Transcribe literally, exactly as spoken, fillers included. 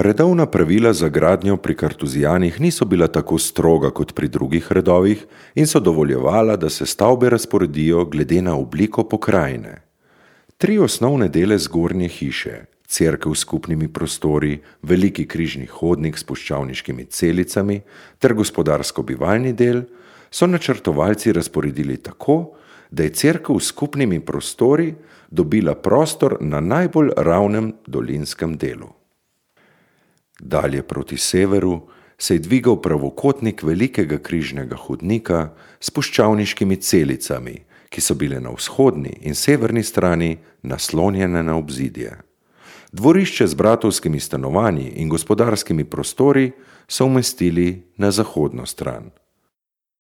Redovna pravila za gradnjo pri Kartuzijanih niso bila tako stroga kot pri drugih redovih in so dovoljevala, da se stavbe razporedijo glede na obliko pokrajine. Tri osnovne dele zgornje hiše, cerkev s skupnimi prostori, veliki križni hodnik s puščavniškimi celicami ter gospodarsko-bivalni del, so načrtovalci razporedili tako, da je cerkev s skupnimi prostori dobila prostor na najbolj ravnem dolinskem delu. Dalje proti severu se je dvigal pravokotnik velikega križnega hodnika s puščavniškimi celicami, ki so bile na vzhodni in severni strani naslonjene na obzidje. Dvorišče z bratovskimi stanovanji in gospodarskimi prostori so umestili na zahodno stran.